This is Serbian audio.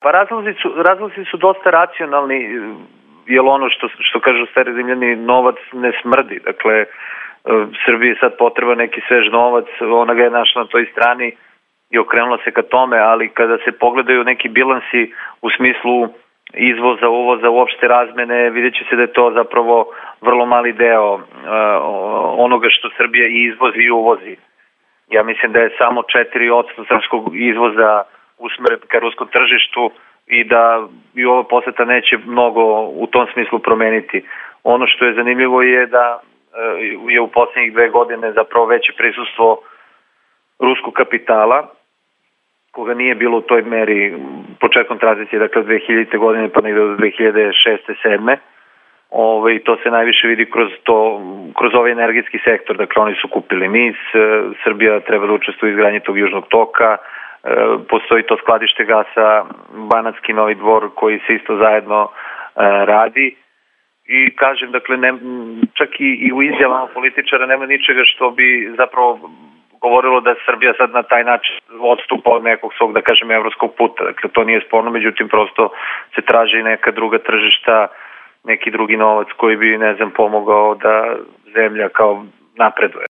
Pa razlozi su dosta racionalni, jer ono što kažu stari Rimljani, novac ne smrdi. Dakle, Srbiji je sad potreba neki svež novac, ona ga je našla na toj strani i okrenula se ka tome, ali kada se pogledaju neki bilansi u smislu izvoza, uvoza, uopšte razmene, vidjet će se da je to zapravo vrlo mali deo onoga što Srbija i izvozi i uvozi. Ja mislim da je samo 4% srpskog izvoza usmeren ka ruskom tržištu i da i ova poseta neće mnogo u tom smislu promeniti. Ono što je zanimljivo je da je u poslednjih 2 godine zapravo veće prisustvo ruskog kapitala, koga nije bilo u toj meri početkom tranzicije, dakle 2000. godine pa negde do 2006. 2007. I to se najviše vidi kroz ovaj energetski sektor. Dakle, oni su kupili NIS, Srbija treba da učestvuje u izgradnji tog južnog toka, postoji to skladište gasa Banatski Novi Dvor koji se isto zajedno radi. I kažem, dakle, čak i u izjavama političara nema ničega što bi zapravo govorilo da Srbija sad na taj način odstupa od nekog svog, da kažem, evropskog puta. Dakle, to nije sporno, međutim, prosto se traži neka druga tržišta, neki drugi novac koji bi, ne znam, pomogao da zemlja kao napreduje.